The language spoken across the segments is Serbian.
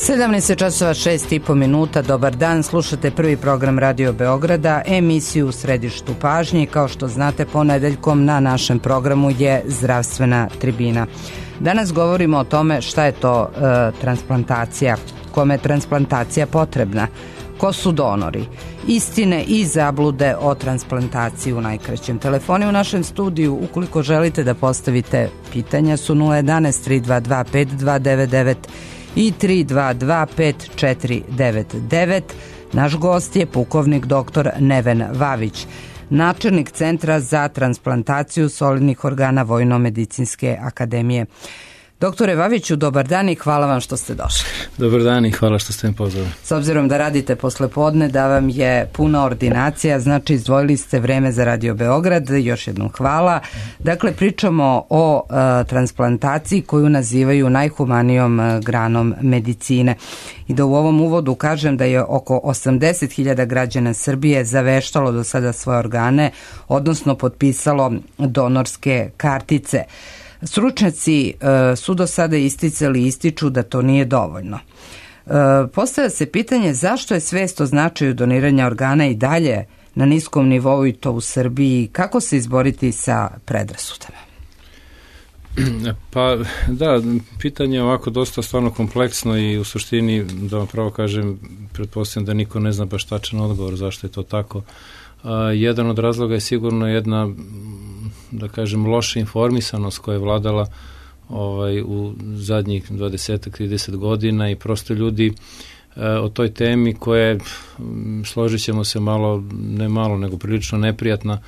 17:06 Dobar dan, slušate prvi program Radio Beograda, emisiju u središtu pažnje. Kao što znate, ponedeljkom na našem programu je zdravstvena tribina. Danas govorimo o tome šta je to transplantacija, kome je transplantacija potrebna, ko su donori, istine i zablude o transplantaciji u najkraćem. Telefoni u našem studiju, ukoliko želite da postavite pitanja, su 011 322 5299 i 322 5499. Naš gost je pukovnik dr. Neven Vavić, načelnik Centra za transplantaciju solidnih organa Vojno-medicinske akademije. Doktore Vaviću, dobar dan i hvala vam što ste došli. Dobar dan i hvala što ste me pozvali. S obzirom da radite poslepodne, da vam je puna ordinacija, znači izdvojili ste vreme za Radio Beograd, još jednom hvala. Dakle, pričamo o transplantaciji koju nazivaju najhumanijom granom medicine. I da u ovom uvodu kažem da je oko 80.000 građana Srbije zaveštalo do sada svoje organe, odnosno potpisalo donorske kartice. Stručnjaci su do sada isticali i ističu da to nije dovoljno. Postavlja se pitanje zašto je svest o značaju doniranja organa i dalje na niskom nivou i to u Srbiji, kako se izboriti sa predrasudama? Pa da, pitanje je ovako dosta stvarno kompleksno i u suštini, da vam pravo kažem, pretpostavljam da niko ne zna baš tačan odgovor zašto je to tako. Jedan od razloga je sigurno jedna, da kažem, loša informisanost koja je vladala u zadnjih 20-30 godina i prosto ljudi o toj temi koja je, složit ćemo se malo, ne malo, nego prilično neprijatna,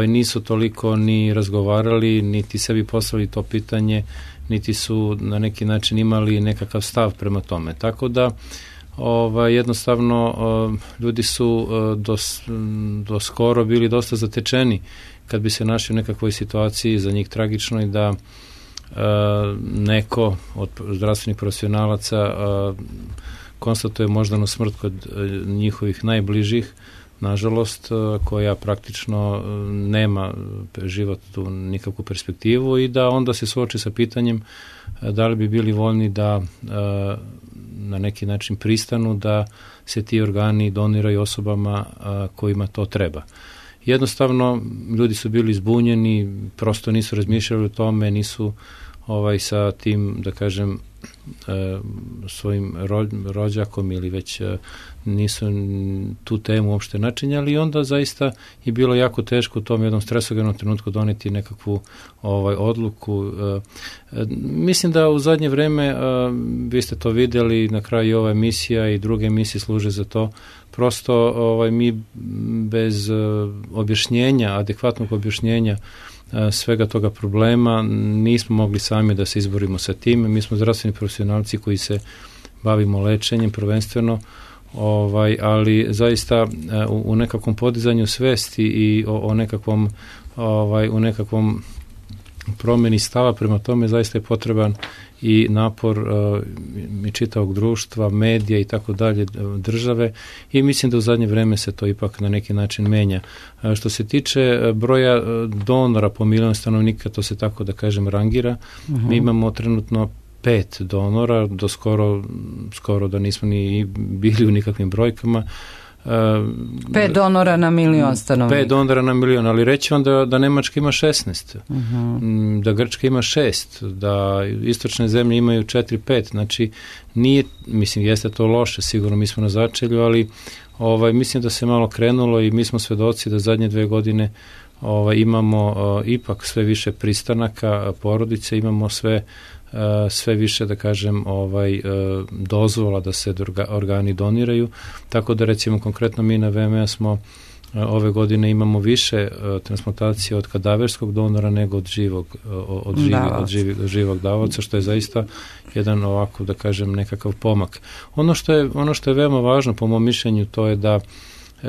nisu toliko ni razgovarali, niti sebi postavili to pitanje, niti su na neki način imali nekakav stav prema tome. Tako da jednostavno ljudi su do skoro bili dosta zatečeni kad bi se našli u nekakvoj situaciji za njih tragičnoj da neko od zdravstvenih profesionalaca konstatuje moždanu smrt kod njihovih najbližih, nažalost, koja praktično nema životnu nikakvu perspektivu i da onda se suoči sa pitanjem da li bi bili voljni da na neki način pristanu da se ti organi doniraju osobama kojima to treba. Jednostavno, ljudi su bili zbunjeni, prosto nisu razmišljali o tome, nisu sa tim, da kažem, svojim rođakom ili već nisu tu temu uopšte načinjali i onda zaista je bilo jako teško u tom jednom stresogenom trenutku doneti nekakvu odluku. Mislim da u zadnje vreme, vi ste to vidjeli, na kraju ova emisija i druge emisije služe za to, prosto mi bez objašnjenja, adekvatnog objašnjenja svega toga problema nismo mogli sami da se izborimo sa tim. Mi smo zdravstveni profesionalci koji se bavimo lečenjem prvenstveno, ali zaista u nekakvom podizanju svesti i u nekakvom promjeni stava prema tome zaista je potreban i napor i čitavog društva, medija i tako dalje, države, i mislim da u zadnje vreme se to ipak na neki način menja. Što se tiče broja donora po milion stanovnika, to se tako da kažem rangira. Mi imamo trenutno 5 donora, do skoro da nismo ni bili u nikakvim brojkama. 5 donora na milion stanovnika. 5 donora na milion, ali reći vam da Nemačka ima 16, da Grčka ima 6, da istočne zemlje imaju 4-5, znači nije, mislim, jeste to loše, sigurno mi smo na začelju, ali mislim da se malo krenulo i mi smo svedoci da zadnje 2 godine imamo ipak sve više pristanaka porodice, imamo sve više, da kažem, dozvola da se organi doniraju, tako da recimo konkretno mi na VMA smo ove godine imamo više transplantacije od kadaverskog donora nego od živog davaoca, što je zaista jedan ovako, da kažem, nekakav pomak. Ono što je veoma važno po mom mišljenju, to je da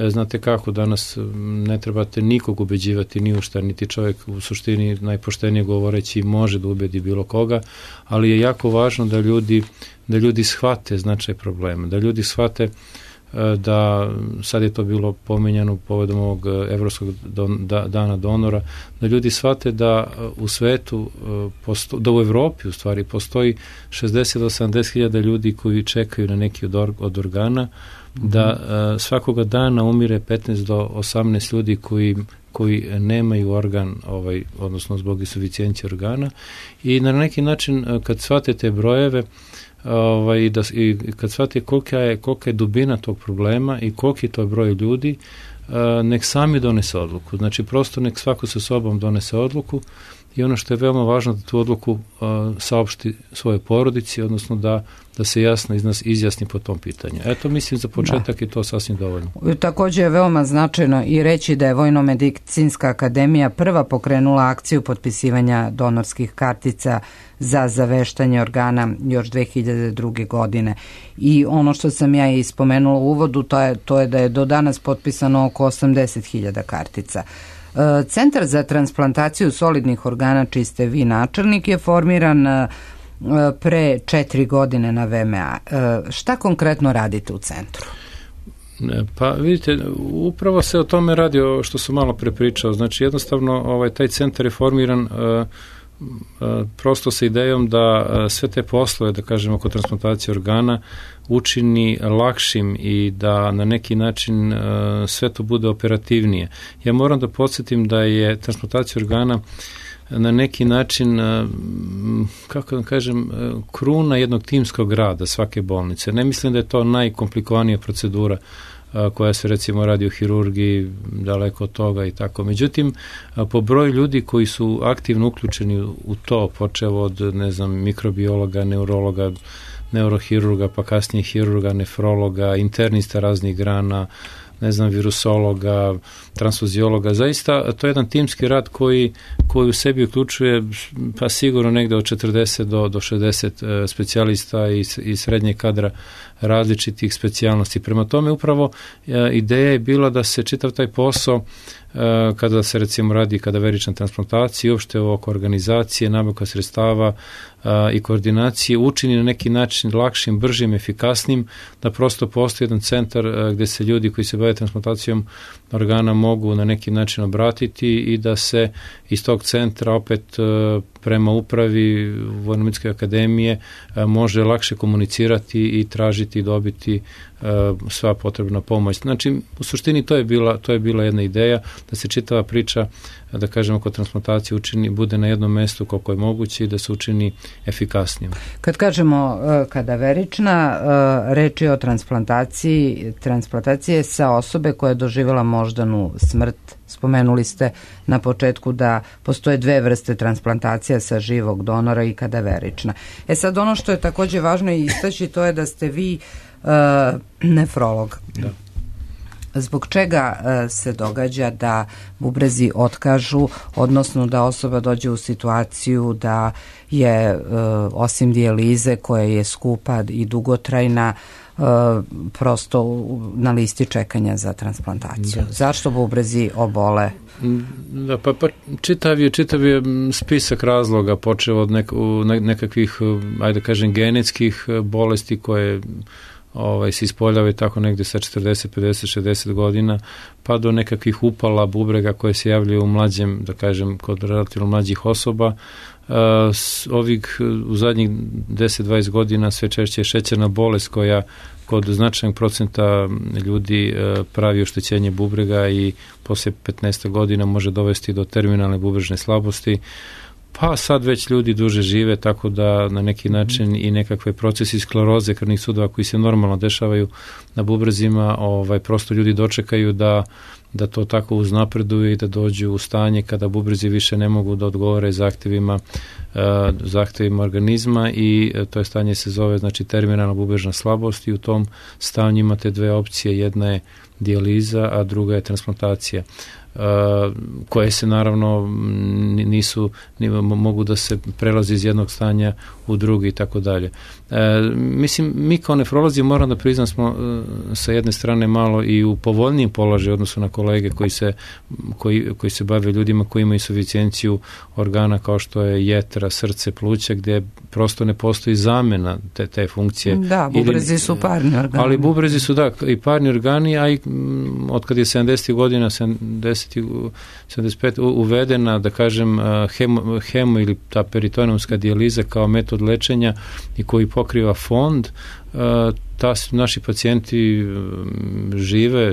znate kako, danas ne trebate nikog ubeđivati ni u šta, niti čovjek u suštini najpoštenije govoreći može da ubedi bilo koga, ali je jako važno da ljudi shvate značaj problema, da ljudi shvate da sad je to bilo pominjano povodom ovog Evropskog dana donora, da ljudi shvate da u svetu, da u Evropi u stvari postoji 60 do 70.000 ljudi koji čekaju na neki od organa, da svakoga dana umire 15 do 18 ljudi koji nemaju organ, odnosno zbog insuficijencije organa, i na neki način kad shvate te brojeve i kad shvate kolika je dubina tog problema i koliki je to broj ljudi, nek sami donese odluku. Znači prosto nek svako sa sobom donese odluku, i ono što je veoma važno da tu odluku saopšti svojoj porodici, odnosno da se jasno izjasni po tom pitanju. Eto, mislim za početak je to sasvim dovoljno. Također je veoma značajno i reći da je Vojno-medicinska akademija prva pokrenula akciju potpisivanja donorskih kartica za zaveštanje organa još 2002. godine. I ono što sam ja i spomenula u uvodu, to je da je do danas potpisano oko 80.000 kartica. Centar za transplantaciju solidnih organa, čiji ste vi načelnik, je formiran pre 4 godine na VMA. Šta konkretno radite u centru? Pa vidite, upravo se o tome radi, što sam malo prepričao. Znači jednostavno taj centar je formiran prosto sa idejom da sve te poslove, da kažemo, oko transplantacije organa učini lakšim i da na neki način sve to bude operativnije. Ja moram da podsjetim da je transplantacija organa na neki način, kako da kažem, kruna jednog timskog rada svake bolnice. Ne mislim da je to najkomplikovanija procedura koja se recimo radi u hirurgiji, daleko od toga i tako. Međutim, po broju ljudi koji su aktivno uključeni u to, počev od, mikrobiologa, neurologa, neurohirurga, pa kasnije hirurga, nefrologa, internista raznih grana, virusologa, transfuziologa. Zaista, to je jedan timski rad koji u sebi uključuje pa sigurno negde od 40 do 60 specijalista i srednjeg kadra različitih specijalnosti. Prema tome, upravo ideja je bila da se čitav taj posao, kada se recimo radi kadaverična transplantacija, uopšte oko organizacije, nabavka sredstava i koordinacije, učini na neki način lakšim, bržim, efikasnim, da prosto postoji jedan centar gde se ljudi koji se bave transplantacijom organa mogu na neki način obratiti i da se iz tog centra opet prema upravi Vojno-medicinske akademije može lakše komunicirati i tražiti i dobiti sva potrebna pomoć. Znači, u suštini to je bila jedna ideja, da se čitava priča, da kažemo, kod transplantacije bude na jednom mestu koliko je moguće i da se učini efikasnijom. Kad kažemo kadaverična, reč je o transplantacije sa osobe koja je doživjela moždanu smrt. Spomenuli ste na početku da postoje 2 vrste transplantacija, sa živog donora i kadaverična. Sad, ono što je također važno istaći, to je da ste vi nefrolog. Da. Zbog čega se događa da bubrezi otkažu, odnosno da osoba dođe u situaciju da je osim dijalize koja je skupa i dugotrajna, prosto na listi čekanja za transplantaciju? Da. Zašto bubrezi obole? Da, pa čitav je spisak razloga, počeo od nekakvih, ajde kažem, genetskih bolesti koje se ispoljavaju tako negde sa 40, 50, 60 godina, pa do nekakvih upala bubrega koje se javljaju u mlađem, da kažem, kod relativno mlađih osoba. U zadnjih 10-20 godina sve češće je šećerna bolest koja kod značajnog procenta ljudi pravi oštećenje bubrega i posle 15 godina može dovesti do terminalne bubrežne slabosti. Pa sad već ljudi duže žive, tako da na neki način i nekakve procesi skleroze krvnih sudova koji se normalno dešavaju na bubrezima, prosto ljudi dočekaju da to tako uznapreduje i da dođu u stanje kada bubrezi više ne mogu da odgovore zahtevima organizma, i to je stanje se zove, znači, terminalna bubrežna slabost, i u tom stanju imate 2 opcije, jedna je dijaliza, a druga je transplantacija, koje se naravno mogu da se prelazi iz jednog stanja u drugi i tako dalje. Mislim, mi kao nefrolozi moram da priznam smo sa jedne strane malo i u povoljnijem položaju odnosno na kolege koji se bave ljudima koji imaju insuficijenciju organa kao što je jetra, srce, pluća, gdje prosto ne postoji zamjena te funkcije. Da, bubrezi su parni organi. Ali bubrezi su i parni organi, a i od kad je 70. godina 75 uvedena, da kažem, hemo ili ta peritoneumska dijaliza kao metod lečenja i koji pokriva fond, naši pacijenti žive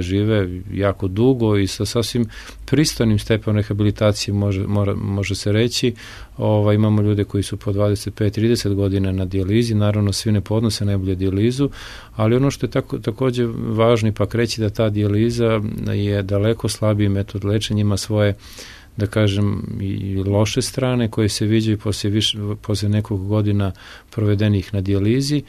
jako dugo i sa sasvim pristojnim stepenom rehabilitacije može se reći. Imamo ljude koji su po 25-30 godina na dijalizi, naravno svi ne podnose najbolje dijalizu, ali ono što je također važno ipak reći da ta dijaliza je daleko slabiji metod lečenja, ima svoje, da kažem, i loše strane koje se viđaju poslije nekog godina provedenih na dijalizi,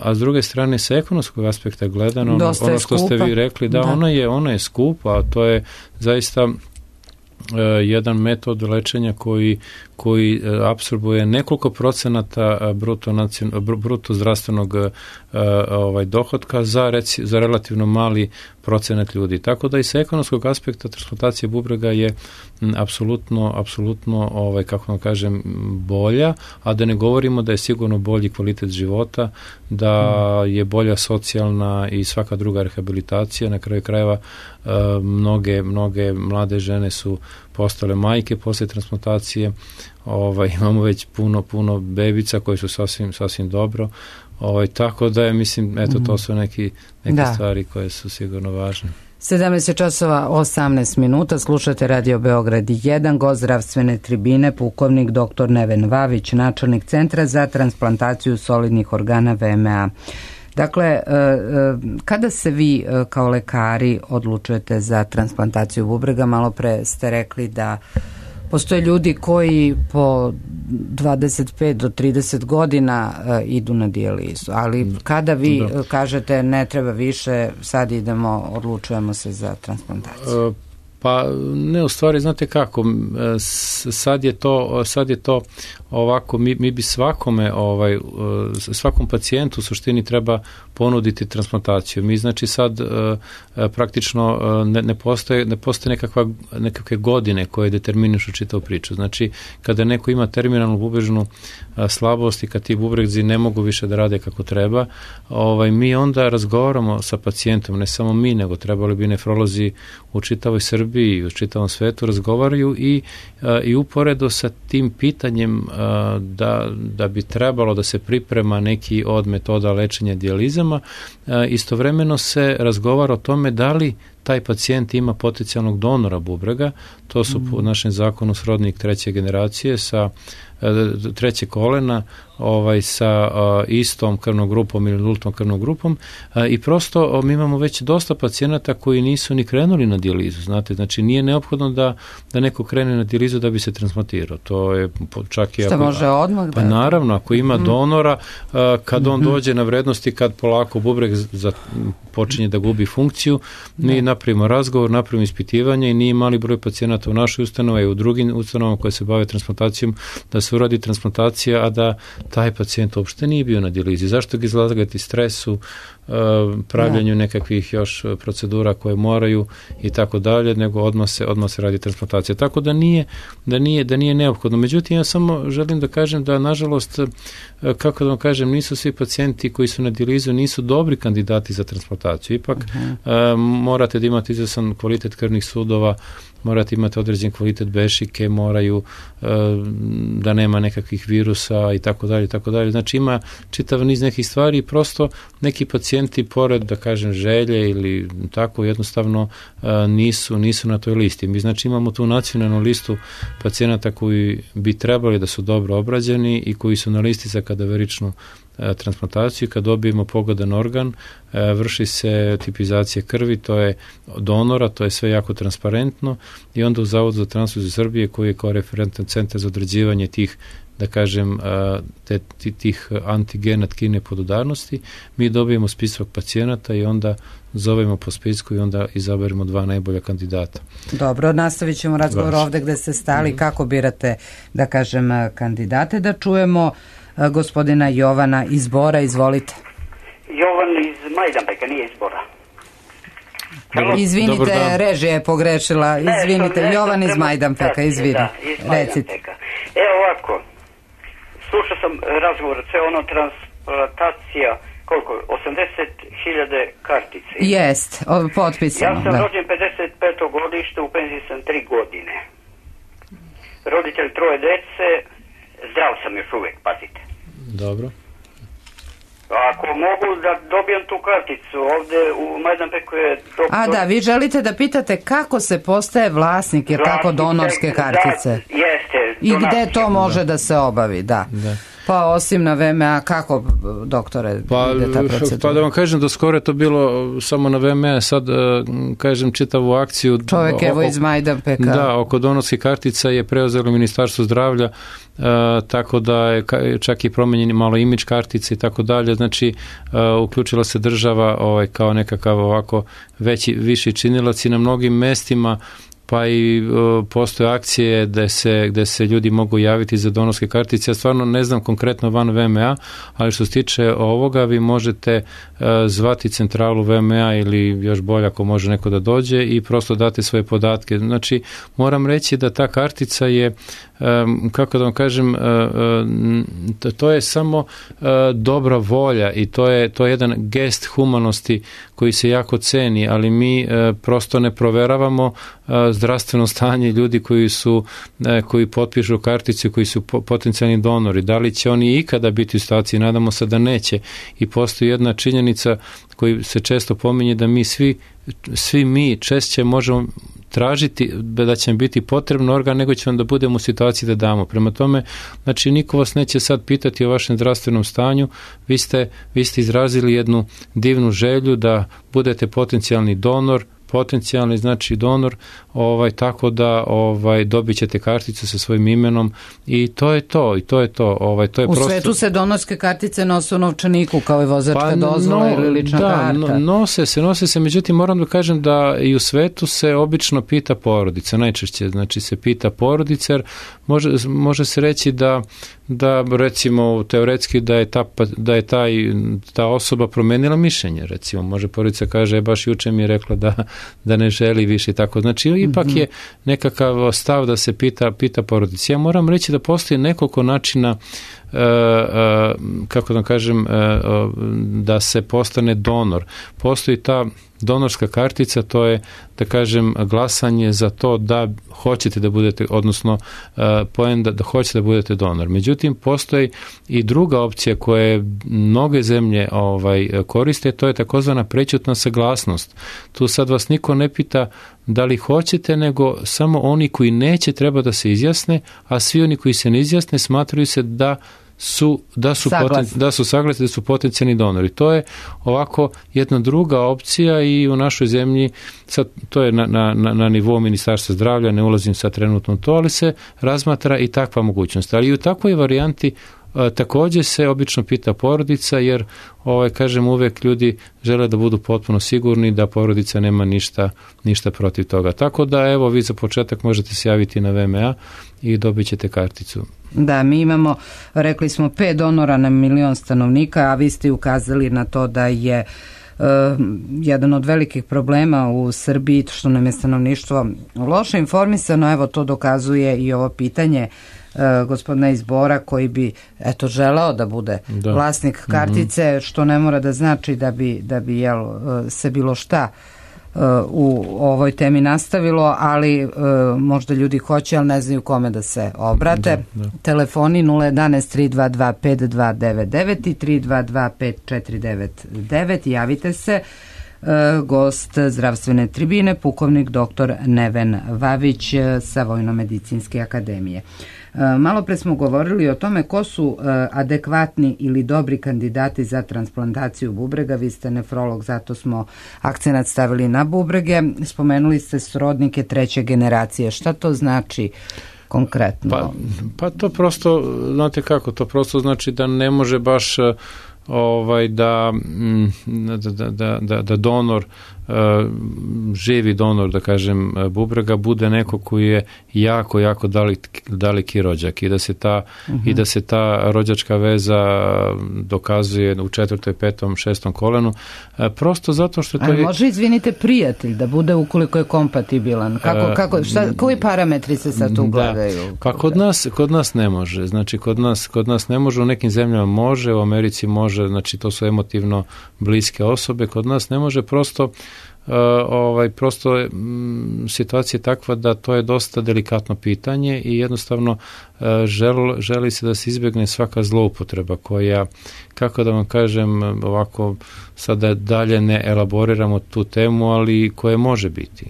a s druge strane sa ekonomskog aspekta gledano, ono što ste vi rekli, da. Ona je skupa, a to je zaista jedan metod lečenja koji apsorbuje nekoliko procenata bruto zdravstvenog dohotka za relativno mali procenat ljudi. Tako da i sa ekonomskog aspekta transplantacija bubrega je apsolutno kako vam kažem, bolja, a da ne govorimo da je sigurno bolji kvalitet života, da je bolja socijalna i svaka druga rehabilitacija. Na kraju krajeva mnoge mlade žene su postale majke poslije transplantacije. Imamo već puno bebica koji su sasvim dobro. Tako da je, mislim, to su neke stvari koje su sigurno važne. 17 časova 18 minuta, slušate Radio Beograd 1, gost zdravstvene tribine, pukovnik dr. Neven Vavić, načelnik Centra za transplantaciju solidnih organa VMA. Dakle, kada se vi kao lekari odlučujete za transplantaciju bubrega, malo pre ste rekli da postoje ljudi koji po 25 do 30 godina idu na dijalizu, ali kada vi kažete ne treba više, sad odlučujemo se za transplantaciju? Pa ne, u stvari, znate kako, sad je to ovako, mi bi svakom pacijentu u suštini treba ponuditi transplantaciju. Mi znači sad praktično ne postoje nekakve godine koje determinišu čitavu priču. Znači kada neko ima terminalnu bubrežnu slabost i kad ti bubrezi ne mogu više da rade kako treba, mi onda razgovaramo sa pacijentom, ne samo mi, nego trebali bi nefrolozi u čitavoj Srbiji i u čitavom svetu razgovaraju i uporedo sa tim pitanjem da bi trebalo da se priprema neki od metoda lečenja dijalizama, istovremeno se razgovara o tome da li taj pacijent ima potencijalnog donora bubrega. To su po našem zakonu srodnik treće generacije sa treće kolena, sa istom krvnom grupom ili nultom krvnom grupom, i prosto mi imamo već dosta pacijenata koji nisu ni krenuli na dijalizu, znate, znači nije neophodno da neko krene na dijalizu da bi se transplantirao. To je čak i što može odmah. Pa naravno, ako ima donora, kad on dođe na vrednosti, kad polako bubreg počinje da gubi funkciju, mi napravimo razgovor, napravimo ispitivanje i nije mali broj pacijenata u našoj ustanovi i u drugim ustanovama koje se bave transplantacijom da se uradi transplantacija, a da taj pacijent uopšte nije bio na dijalizi. Zašto ga izlagati stresu, pravljenju nekakvih još procedura koje moraju i tako dalje, nego odmah se radi transplantacija. Tako da nije neophodno. Međutim, ja samo želim da kažem da, nažalost, kako da vam kažem, nisu svi pacijenti koji su na dijalizu nisu dobri kandidati za transplantaciju. Ipak morate da imate izvestan kvalitet krvnih sudova, morate imati određen kvalitet bešike, moraju da nema nekakvih virusa i tako dalje, tako dalje. Znači ima čitav niz nekih stvari i prosto neki pacijenti pored, da kažem, želje ili tako jednostavno nisu na toj listi. Mi znači imamo tu nacionalnu listu pacijenata koji bi trebali da su dobro obrađeni i koji su na listi za kadaveričnu transplantaciju. Kad dobijemo pogodan organ, vrši se tipizacija krvi, to je donora, to je sve jako transparentno i onda u Zavodu za transfuziju Srbije, koji je kao referentan centar za određivanje tih, da kažem, tih antigena tkine podudarnosti, mi dobijemo spisak pacijenata i onda zovemo po spisku i onda izaberemo 2 najbolja kandidata. Dobro, nastavit ćemo razgovor ovdje gde ste stali, kako birate, da kažem, kandidate. Da čujemo gospodina Jovana iz Bora, izvolite. Jovan iz Majdanpeka, nije iz Bora. Izvinite, režija je pogrešila. Izvinite, Jovan iz Majdanpeka, izvini. Recite. Evo ovako, slušao sam razgovor, sve ono transplantacija, koliko? 80.000 kartice. Jest, potpisano. Ja sam rođen 55. godište, u penziji sam 3 godine. Roditelj 3 dece, zdrav sam još uvijek, pazite. Dobro. Ako mogu da dobijem tu karticu, ovdje u Majdanpeku je doktor... A da, vi želite da pitate kako se postaje vlasnik, jer tako donorske kartice. Jeste. I gde to može da se obavi, da. Pa osim na VMA, kako, doktore, ide ta procedura? Pa da vam kažem, do skoro je to bilo samo na VMA, sad kažem čitavu akciju. Čovjek evo iz Majdanpeka. Da, oko donorskih kartica je preuzelo Ministarstvo zdravlja, tako da je čak i promenjeni malo imidž kartice i tako dalje, znači uključila se država kao nekakav ovako viši činilac i na mnogim mestima, pa i postoje akcije gde se ljudi mogu javiti za donorske kartice. Ja stvarno ne znam konkretno van VMA, ali što se tiče ovoga, vi možete zvati centralu VMA ili još bolje ako može neko da dođe i prosto date svoje podatke. Znači, moram reći da ta kartica je, kako da vam kažem, to je samo dobra volja i to je jedan gest humanosti koji se jako ceni, ali mi prosto ne proveravamo zdravstveno stanje ljudi koji potpišu karticu, koji su potencijalni donori. Da li će oni ikada biti u situaciji? Nadamo se da neće. I postoji jedna činjenica koju se često pominje, da mi svi mi češće možemo tražiti da će nam biti potrebno organ nego ćemo da budemo u situaciji da damo. Prema tome, znači niko vas neće sad pitati o vašem zdravstvenom stanju, vi ste izrazili jednu divnu želju da budete potencijalni donor, znači donor, tako da dobit ćete karticu sa svojim imenom i to je to. U svetu se donorske kartice nose u novčaniku kao i vozačka dozvola ili lična karta. Nose se, međutim moram da kažem da i u svetu se obično pita porodica, najčešće, znači se pita porodica, jer može se reći da recimo teoretski da je ta osoba promenila mišljenje, recimo može porodica kaže baš juče mi je rekla da ne želi više tako, znači ipak je nekakav stav da se pita porodica. Ja moram reći da postoji nekoliko načina kako da kažem da se postane donor. Postoji ta donorska kartica, to je da kažem glasanje za to da hoćete da budete, odnosno da hoćete da budete donor. Međutim, postoji i druga opcija koje mnoge zemlje koriste, to je takozvana prećutna saglasnost. Tu sad vas niko ne pita da li hoćete, nego samo oni koji neće treba da se izjasne, a svi oni koji se ne izjasne smatraju se da su saglasni, da su potencijalni donori. To je ovako jedna druga opcija i u našoj zemlji, sad to je na nivou Ministarstva zdravlja, ne ulazim sad trenutno u to, ali se razmatra i takva mogućnost. Ali i u takvoj varijanti također se obično pita porodica, jer kažem uvek ljudi žele da budu potpuno sigurni da porodica nema ništa protiv toga. Tako da evo vi za početak možete se javiti na VMA i dobit ćete karticu. Da, mi imamo, rekli smo 5 donora na 1.000.000 stanovnika, a vi ste ukazali na to da je jedan od velikih problema u Srbiji što nam je stanovništvo loše informisano. Evo to dokazuje i ovo pitanje gospodina iz Bora koji bi želeo da bude vlasnik kartice, što ne mora da znači da bi se bilo šta u ovoj temi nastavilo, ali možda ljudi hoće, ali ne znaju kome da se obrate. Telefoni 011 322 5299 i 322 5499. Javite se. Gost zdravstvene tribine, pukovnik dr. Neven Vavić sa Vojno-medicinske akademije. Malo pre smo govorili o tome ko su adekvatni ili dobri kandidati za transplantaciju bubrega. Vi ste nefrolog, zato smo akcenat stavili na bubrege. Spomenuli ste srodnike 3. generacije. Šta to znači konkretno? Pa to prosto, znate kako, to prosto znači da ne može baš da donor živi donor, da kažem, bubrega bude neko koji je jako, jako daleki rođak i da se ta rođačka veza dokazuje u 4., 5., 6. kolenu, prosto zato što to je... Ali može, izvinite, prijatelj da bude ukoliko je kompatibilan? Koji parametri se sad tu gledaju? Pa kod nas ne može. Znači, kod nas ne može, u nekim zemljama može, u Americi može, znači to su emotivno bliske osobe, kod nas ne može, prosto situacija je takva da to je dosta delikatno pitanje i jednostavno želi se da se izbjegne svaka zloupotreba koja, kako da vam kažem, ovako sada dalje ne elaboriramo tu temu, ali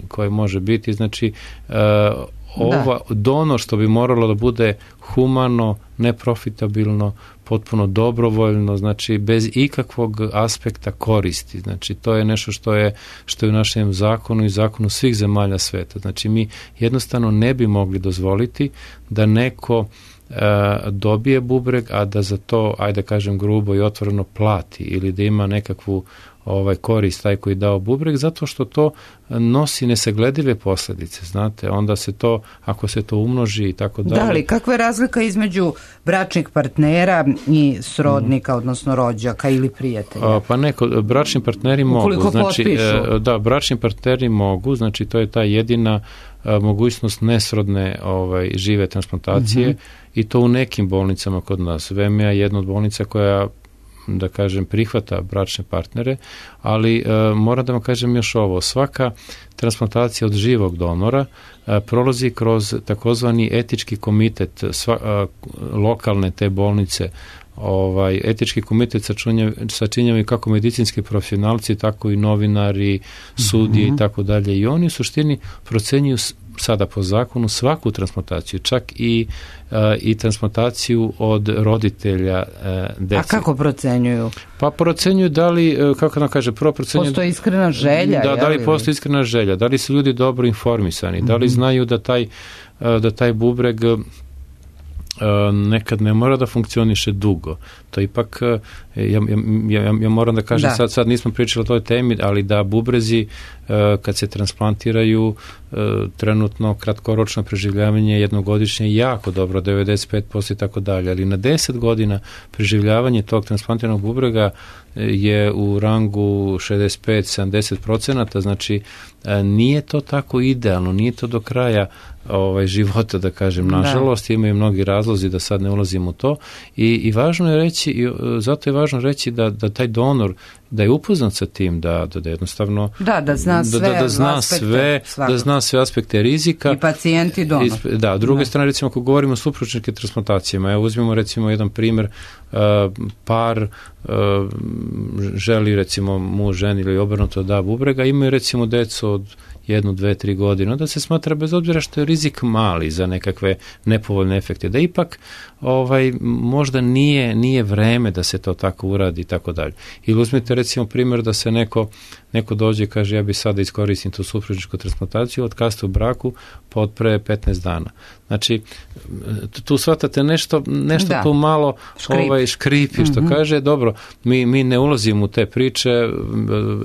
koje može biti, znači donor što bi moralo da bude humano, neprofitabilno, potpuno dobrovoljno, znači bez ikakvog aspekta koristi. Znači to je nešto što je u našem zakonu i zakonu svih zemalja sveta. Znači mi jednostavno ne bi mogli dozvoliti da neko dobije bubreg, a da za to, ajde kažem grubo i otvoreno, plati ili da ima nekakvu korist taj koji dao bubreg, zato što to nosi nesagledive posljedice, znate, onda se to, ako se to umnoži i tako dalje. Da, ali kakva je razlika između bračnih partnera i srodnika, odnosno rođaka ili prijatelja? Pa bračni partneri mogu, znači, bračni partneri mogu, znači to je ta jedina mogućnost nesrodne žive transplantacije i to u nekim bolnicama kod nas. VMA je jedna od bolnica koja, da kažem, prihvata bračne partnere, ali moram da vam kažem još ovo, svaka transplantacija od živog donora prolazi kroz takozvani etički komitet lokalne te bolnice. Etički komitet sačinjavaju kako medicinski profesionalci, tako i novinari, sudije i tako dalje, i oni u suštini procenjuju sada po zakonu svaku transplantaciju, čak i transplantaciju od roditelja dece. A kako procenjuju? Pa procenjuju da li, kako nam kaže, prvo procenjuju... Postoji iskrena želja? Da li postoji iskrena želja, da li su ljudi dobro informisani, da li znaju da taj bubreg nekad ne mora da funkcioniše dugo. To ipak, ja moram da kažem, sad nismo pričali o toj temi, ali da bubrezi kad se transplantiraju trenutno kratkoročno preživljavanje jednogodišnje jako dobro, 95% i tako dalje, ali na 10 godina preživljavanje tog transplantiranog bubrega je u rangu 65-70%, znači nije to tako idealno, nije to do kraja života, da kažem, nažalost, imaju mnogi razlozi da sad ne ulazimo u to i važno je reći, zato je važno reći da taj donor, da je upoznat sa tim, da jednostavno da zna sve aspekte rizika. I pacijent i donor. Da, druge strane, recimo, ako govorimo o supružničkim transplantacijama, evo uzmemo recimo jedan primjer, par želi, recimo, muž, ženi ili obrnuto da bubrega, imaju recimo decu od 1, 2, 3 godine, onda se smatra, bez obzira što je rizik mali za nekakve nepovoljne efekte, da ipak možda nije vreme da se to tako uradi i tako dalje. Ili uzmite recimo primjer da se neko dođe i kaže ja bi sada iskoristim tu supružničku transplantaciju od kaste u braku pod pre 15 dana. Znači, tu shvatate nešto tu malo škripi, što kaže, dobro, mi ne ulazimo u te priče,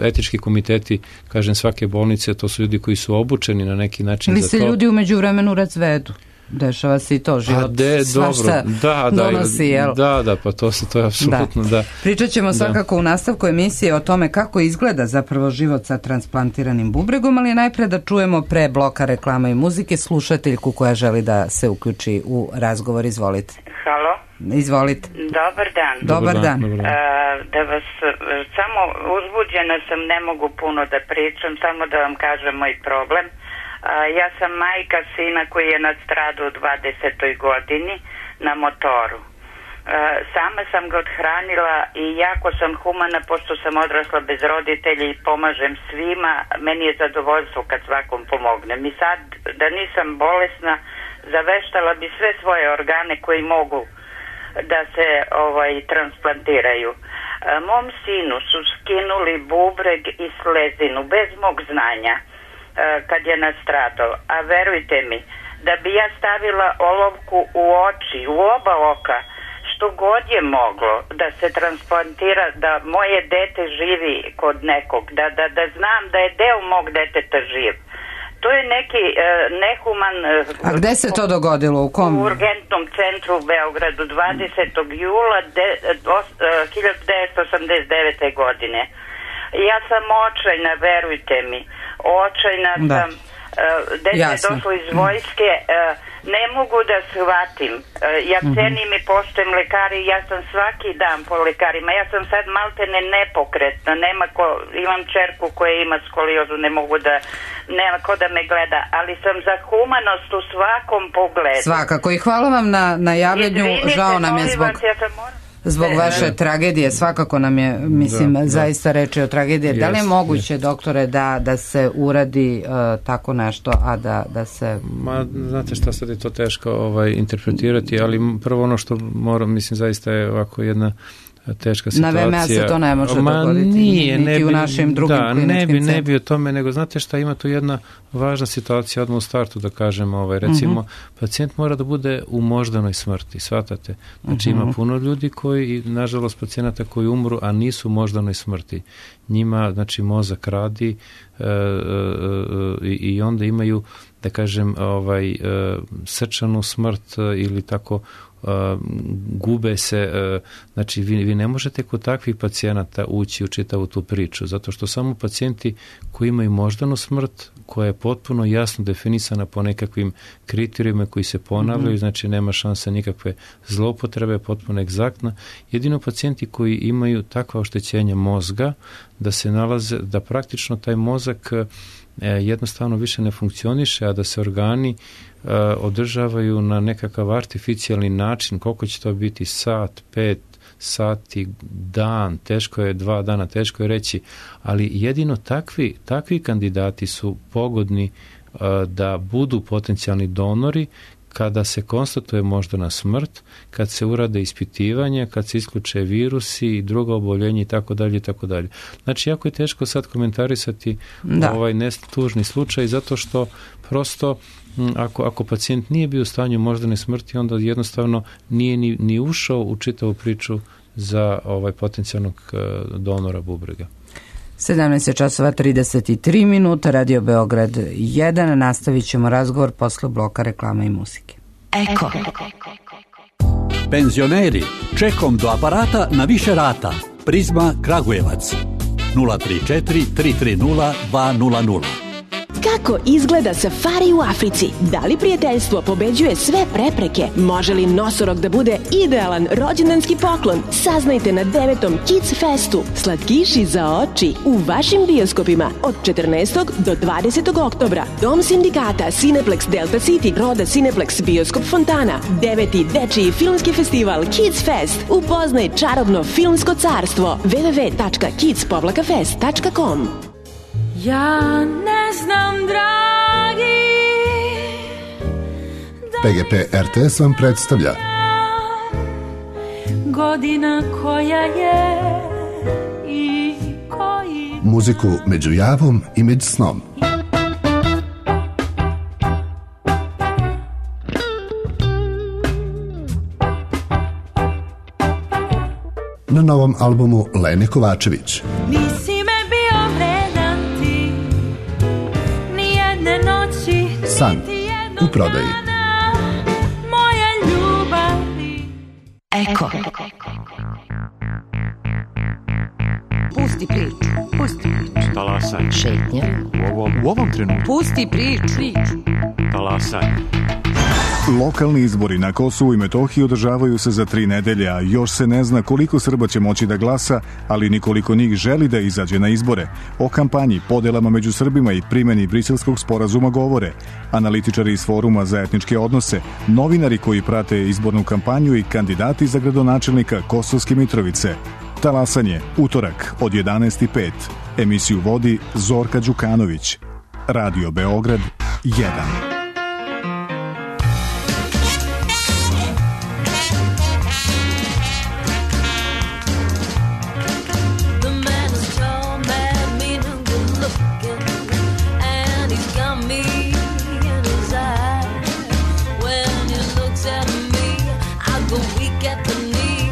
etički komiteti, kažem, svake bolnice, to su ljudi koji su obučeni na neki način za to. Ili se ljudi u međuvremenu razvedu. Dešava se i to, život svašta donosi, jel? Da, pa to je apsolutno, da. Pričat ćemo svakako u nastavku emisije o tome kako izgleda zapravo život sa transplantiranim bubregom, ali najpre da čujemo pre bloka reklama i muzike slušateljku koja želi da se uključi u razgovor. Izvolite. Halo? Izvolite. Dobar dan. Da vas, samo uzbuđena sam, ne mogu puno da pričam, samo da vam kažem moj problem. Ja sam majka sina koji je nastradao u 20. godini na motoru. Sama sam ga odhranila i jako sam humana pošto sam odrasla bez roditelja i pomažem svima. Meni je zadovoljstvo kad svakom pomognem. I sad, da nisam bolesna, zaveštala bi sve svoje organe koji mogu da se transplantiraju. Mom sinu su skinuli bubreg i slezinu bez mog znanja kad je nastradao, a verujte mi da bi ja stavila olovku u oči, u oba oka, što što god je moglo da se transplantira, da moje dete živi kod nekog, da znam da je deo mog deteta živ. To je neki nehuman... A gde se to dogodilo? U kom? U urgentnom centru u Beogradu 20. jula 1989. godine. Ja sam očajna, verujte mi. Očajna sam. Dete je došlo iz vojske. Ne mogu da shvatim. Ja cenim i poštujem lekari. Ja sam svaki dan po lekarima. Ja sam sad maltene nepokretna. Imam čerku koja ima skoliozu. Nema ko da me gleda. Ali sam za humanost u svakom pogledu. Svakako. I hvala vam na javljanju. Žao nam je zbog vaše tragedije. Svakako nam je, zaista reči o tragediji. Da li je moguće, doktore, da se uradi tako nešto, a da se... Znate šta, sad je to teško interpretirati, ali prvo ono što moram, zaista je ovako jedna teška situacija. Na VMA se to ne može dogoditi. Niti u našim drugim kliničkim centrima. Ne bi o tome, nego znate šta, ima tu jedna važna situacija odmah u startu, da kažem, recimo, pacijent mora da bude u moždanoj smrti, shvatate? Znači ima puno ljudi koji, nažalost, pacijenata koji umru, a nisu u moždanoj smrti. Njima, znači, mozak radi i onda imaju, da kažem, srčanu smrt ili tako, gube se, znači vi ne možete kod takvih pacijenata ući u čitavu tu priču, zato što samo pacijenti koji imaju moždanu smrt, koja je potpuno jasno definisana po nekakvim kriterijima koji se ponavljaju, znači nema šanse nikakve zloupotrebe, potpuno egzaktna. Jedino pacijenti koji imaju takva oštećenja mozga, da se nalaze, da praktično taj mozak jednostavno više ne funkcioniše, a da se organi održavaju na nekakav artificijalni način, koliko će to biti sat, 5 sati, dan, teško je 2 dana, teško je reći, ali jedino takvi kandidati su pogodni da budu potencijalni donori kada se konstatuje moždana smrt, kad se urade ispitivanja, kad se isključe virusi i druga oboljenja i tako dalje i tako dalje. Znači, jako je teško sad komentarisati ovaj tužni slučaj, zato što prosto ako pacijent nije bio u stanju moždane smrti, onda jednostavno nije ni ušao u čitavu priču za potencijalnog donora bubrega. 17:33, Radio Beograd 1. Nastavit ćemo razgovor posle bloka reklama i muzike. Eko. Penzioneri, čekom do aparata na više rata. Prizma Kragujevac 034 330 200. Kako izgleda safari u Africi? Da li prijateljstvo pobeđuje sve prepreke? Može li nosorog da bude idealan rođendanski poklon? Saznajte na 9. Kids Festu. Slatkiši za oči u vašim bioskopima od 14. do 20. oktobra. Dom sindikata, Cineplex Delta City, Roda Cineplex, Bioskop Fontana. 9. dečiji filmski festival Kids Fest. Upoznaj čarobno filmsko carstvo. www.kids-fest.com. Ja ne znam, dragi, PGP RTS vam predstavlja godina koja je i koji muziku među javom i među snom. Na novom albumu Lene Kovačević. San u prodaji. Eko. Pusti priču. Talasaj. Šetnja. U ovom trenutku. Pusti priču. Talasaj. Lokalni izbori na Kosovu i Metohiji održavaju se za 3 nedelje, a još se ne zna koliko Srba će moći da glasa, ali nikoliko njih želi da izađe na izbore. O kampanji, podelama među Srbima i primjeni Briselskog sporazuma govore analitičari iz Foruma za etničke odnose, novinari koji prate izbornu kampanju i kandidati za gradonačelnika Kosovske Mitrovice. Talasanje, utorak od 11:05. Emisiju vodi Zorka Đukanović. Radio Beograd 1. When he looks at me, I go weak at the knee.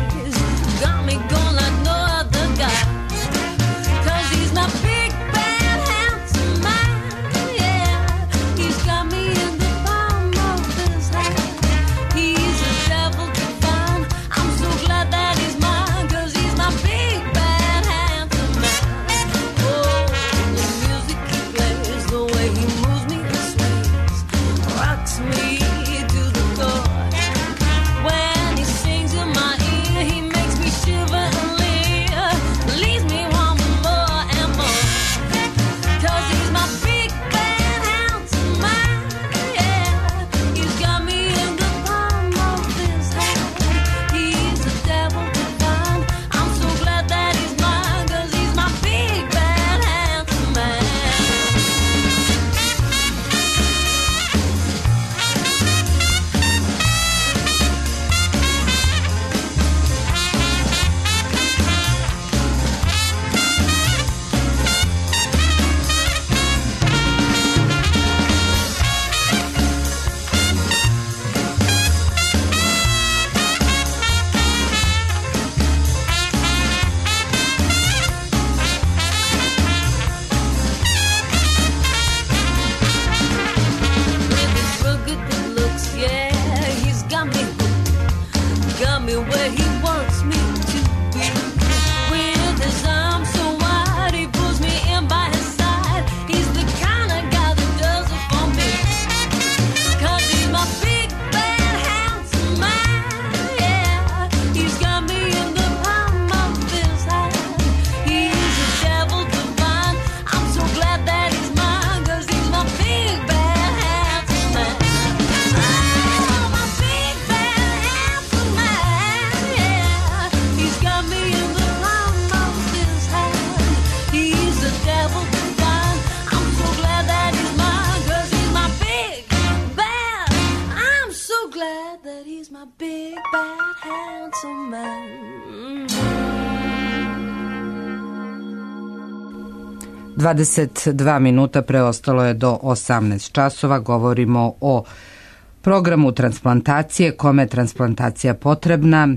me where he wants me to be. With his arms so wide, he pulls me in by his side. He's the kind of guy that does it for me. 'Cause he's my big, bad, handsome man, yeah. He's got me in the palm of his hand. He's a devil divine. I'm so glad that he's mine, 'cause he's my big, bad, handsome man. Oh, my big, bad, handsome man, yeah. He's got me in the palm of his hand. He's a devil divine. I'm so glad that he's mine, 'cause he's my big, bad. I'm so glad that he's my big, bad, handsome man. 22 minuta preostalo je do 18 časova. Govorimo o programu transplantacije, kome je transplantacija potrebna,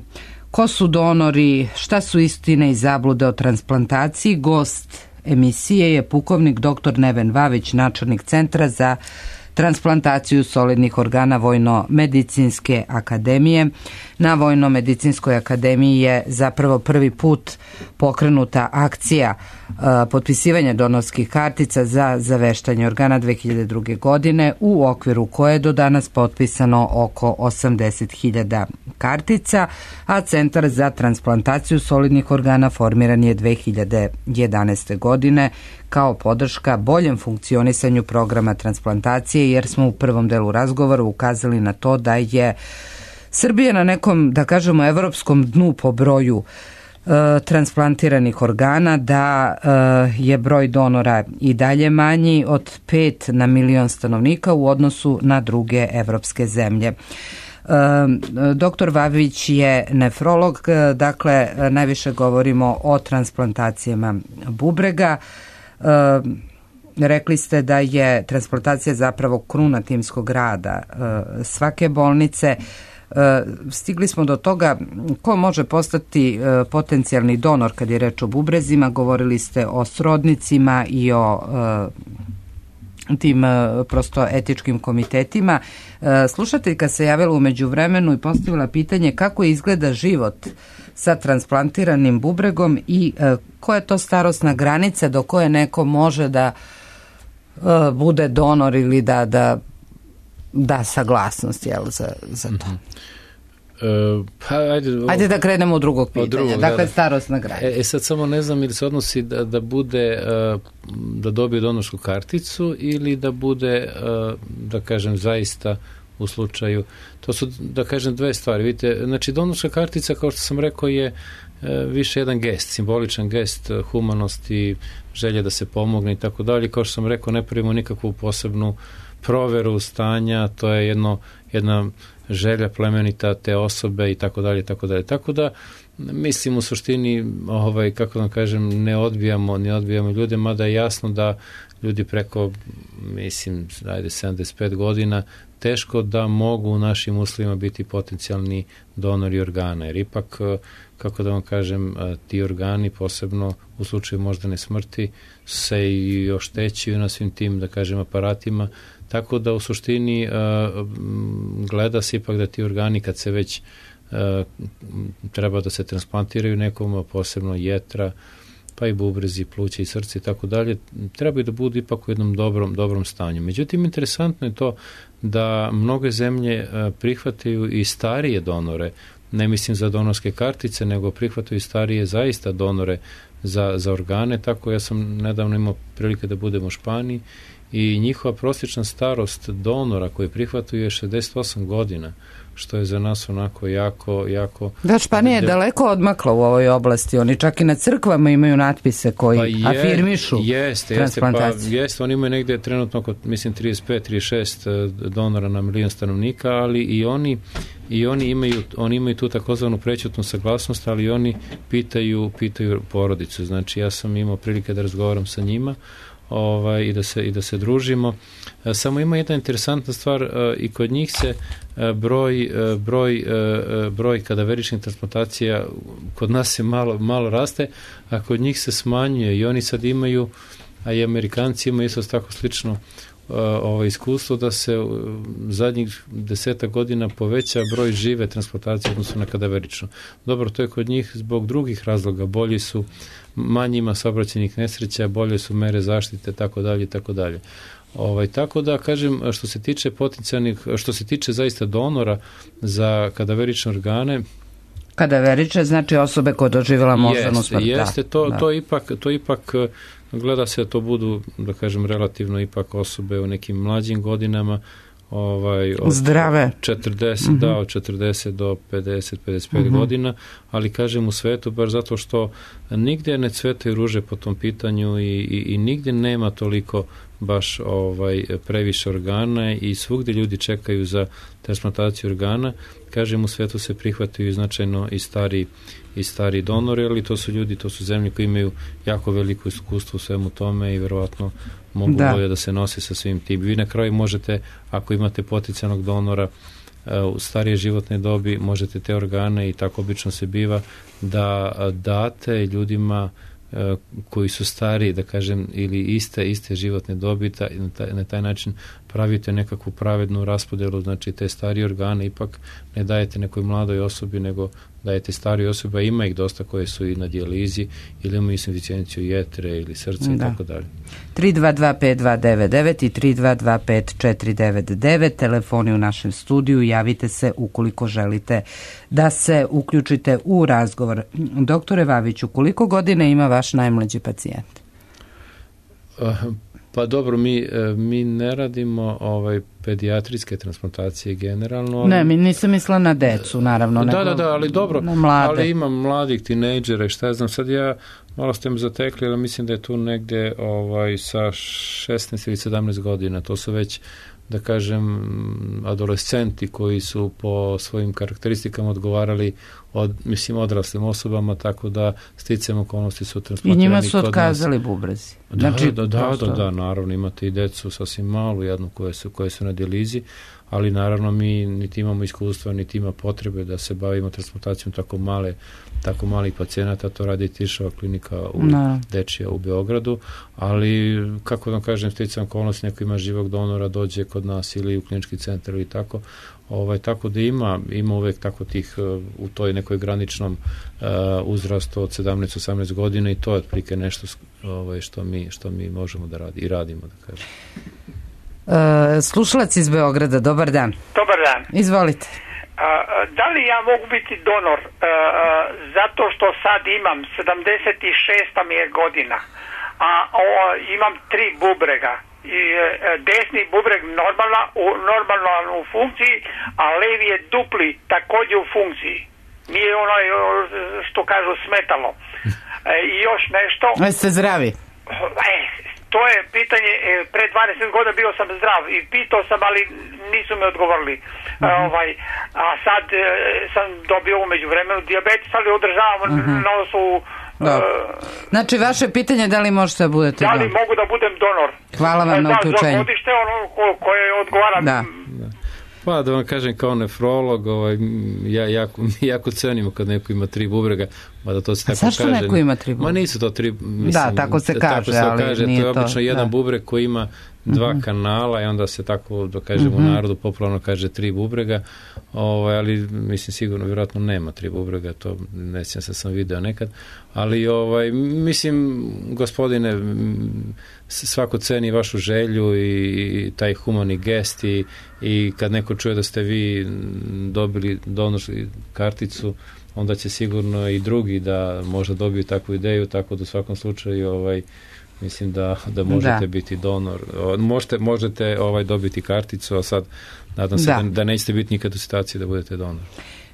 ko su donori, šta su istine i zablude o transplantaciji. Gost emisije je pukovnik dr. Neven Vavić, načelnik Centra za transplantaciju solidnih organa Vojno-medicinske akademije. Na Vojno-medicinskoj akademiji je zapravo prvi put pokrenuta akcija potpisivanja donorskih kartica za zaveštanje organa 2002. godine, u okviru koje je do danas potpisano oko 80.000 kartica, a Centar za transplantaciju solidnih organa formiran je 2011. godine kao podrška boljem funkcionisanju programa transplantacije, jer smo u prvom delu razgovora ukazali na to da je Srbija na nekom, da kažemo, evropskom dnu po broju transplantiranih organa, da je broj donora i dalje manji od 5 na milion stanovnika u odnosu na druge evropske zemlje. Doktor Vavić je nefrolog, dakle najviše govorimo o transplantacijama bubrega. Rekli ste da je transplantacija zapravo kruna timskog rada svake bolnice. Stigli smo do toga ko može postati potencijalni donor kad je reč o bubrezima. Govorili ste o srodnicima i o tim prosto etičkim komitetima. Slušateljka se javila u međuvremenu i postavila pitanje kako izgleda život sa transplantiranim bubregom i koja je to starosna granica do koje neko može da bude donor ili da saglasnost, jel, za to. Ajde da krenemo od drugog pitanja. Dakle, starosna granica. Sad samo ne znam ili se odnosi da bude, da dobije donorsku karticu ili da bude, da kažem, zaista u slučaju, to su, da kažem, dve stvari. Vidite, znači donorska kartica, kao što sam rekao, je više jedan gest, simboličan gest humanosti, želje da se pomogne i tako dalje. Kao što sam rekao, ne pravimo nikakvu posebnu proveru stanja, to je jedna želja plemenita te osobe i tako dalje, tako dalje. Tako da, mislim, u suštini, kako da kažem, ne odbijamo ljude, mada je jasno da ljudi preko, mislim, 75 godina teško da mogu u našim uslovima biti potencijalni donori organa, jer ipak, kako da vam kažem, ti organi, posebno u slučaju moždane smrti, se i oštećuju na svim tim, da kažem, aparatima, tako da u suštini gleda se ipak da ti organi, kad se već treba da se transplantiraju nekom, posebno jetra, pa i bubrezi, pluća i srce i tako dalje, trebaju da budu ipak u jednom dobrom stanju. Međutim, interesantno je to da mnoge zemlje prihvataju i starije donore, ne mislim za donorske kartice, nego prihvataju starije zaista donore za organe. Tako ja sam nedavno imao prilike da budem u Španiji i njihova prosječna starost donora koji prihvataju je 68 godina, što je za nas onako jako... Da, Španija je daleko odmakla u ovoj oblasti. Oni čak i na crkvama imaju natpise koji afirmišu transplantaciju. Jeste, oni imaju negde trenutno oko, mislim, 35-36 donora na milion stanovnika, ali i oni imaju tu takozvanu prećutnu saglasnost, ali oni pitaju porodicu. Znači, ja sam imao prilike da razgovaram sa njima i da se družimo. Samo ima jedna interesantna stvar, i kod njih se broj kadaveričnih transplantacija kod nas se malo raste, a kod njih se smanjuje i oni sad imaju, a i Amerikanci imaju isto tako slično iskustvo da se zadnjih 10 godina poveća broj žive transplantacije odnosno na kadaverično. Dobro, to je kod njih zbog drugih razloga, bolji su, manje ima saobraćajnih nesreća, bolje su mere zaštite, tako dalje, tako dalje. Tako da kažem, što se tiče potencijalnih, što se tiče zaista donora za kadaverične organe, kadaverične znači osobe koje doživjela moždanu smrt. Jeste, to ipak gleda se da to budu, da kažem, relativno ipak osobe u nekim mlađim godinama, zdrave. 40, da, od 40 do 50-55 godina, ali kažem u svetu, bar zato što nigdje ne cvetaju ruže po tom pitanju i nigdje nema toliko baš previše organa i svugdje ljudi čekaju za transplantaciju organa. Kažem, u svetu se prihvataju značajno i stari donori, ali to su ljudi, to su zemlje koji imaju jako veliko iskustvo u svemu tome i verovatno mogu bolje da se nose sa svim tim. Vi na kraju možete, ako imate potencijalnog donora u starije životne dobi, možete te organe, i tako obično se biva, da date ljudima koji su stariji, da kažem, ili iste životne dobi, na taj način pravite nekakvu pravednu raspodelu, znači te starije organe ipak ne dajete nekoj mladoj osobi, nego dajete starije osobe, a ima ih dosta koje su i na dijalizi ili imaju insuficijenciju jetre ili srca i tako dalje. 3225299 i 3225499, telefoni u našem studiju, javite se ukoliko želite da se uključite u razgovor. Doktore Vaviću, koliko godina ima vaš najmlađi pacijent? Pa dobro, mi ne radimo pedijatrijske transplantacije generalno. Ne, mi nisam mislila na decu, naravno. Da, ali dobro, ali imam mladih tinejdžera i šta znam, sad ja malo ste me zatekli, ali mislim da je tu negdje sa 16 ili 17 godina, to su već, da kažem, adolescenti koji su po svojim karakteristikama odgovarali odraslim osobama, tako da sticajem okolnosti su transplantirani. I njima su otkazali bubrezi. Da, naravno, imate i decu sasvim malu, jednu koje su na dijalizi, ali naravno mi niti imamo iskustva, niti ima potrebe da se bavimo transplantacijom tako malih pacijenata, to radi Tiršova klinika dečija u Beogradu, ali kako da kažem, sticajem okolnosti, neko ima živog donora, dođe kod nas ili u klinički centar ili tako, tako da ima uvek tako tih u toj nekoj graničnom uzrastu od 17-18 godina, i to je otprilike nešto što mi možemo da radimo, da kažem. Slušalac iz Beograda, dobar dan. Dobar dan. Izvolite. Da li ja mogu biti donor zato što sad imam 76 mi je godina, a imam 3 bubrega i desni bubreg normalno u funkciji, a levi je dupli također u funkciji. Nije ono što kažu smetalo. I još nešto. Jeste zdravi? To je pitanje, pre 20 godina bio sam zdrav i pitao sam, ali nisu mi odgovorili. A sad sam dobio umeđu vremenu dijabetes, ali održavam na osnovu... Znači, vaše pitanje da li možete da budete donor? Da li mogu da budem donor? Hvala vam na uključenju. Za godište koje odgovara... Pa da vam kažem, kao nefrolog, ja jako cenimo kad neko ima 3 bubrega, mada to se tako kaže. Zašto neko ima 3 bubrega? Ma nisu to 3, mislim, da, tako se kaže, ali nije to. To je obično jedan bubreg koji ima 2 kanala i onda se tako, da kažem, u narodu popularno kaže 3 bubrega, ali mislim sigurno, vjerojatno nema 3 bubrega, to ne sjećam se, sam video nekad, ali mislim, gospodine, svako ceni vašu želju i taj humani gest i kad neko čuje da ste vi dobili donorsku karticu, onda će sigurno i drugi da možda dobiju takvu ideju, tako da u svakom slučaju mislim da možete biti donor. Možete dobiti karticu, a sad nadam se da nećete biti nikad u situaciji da budete donor.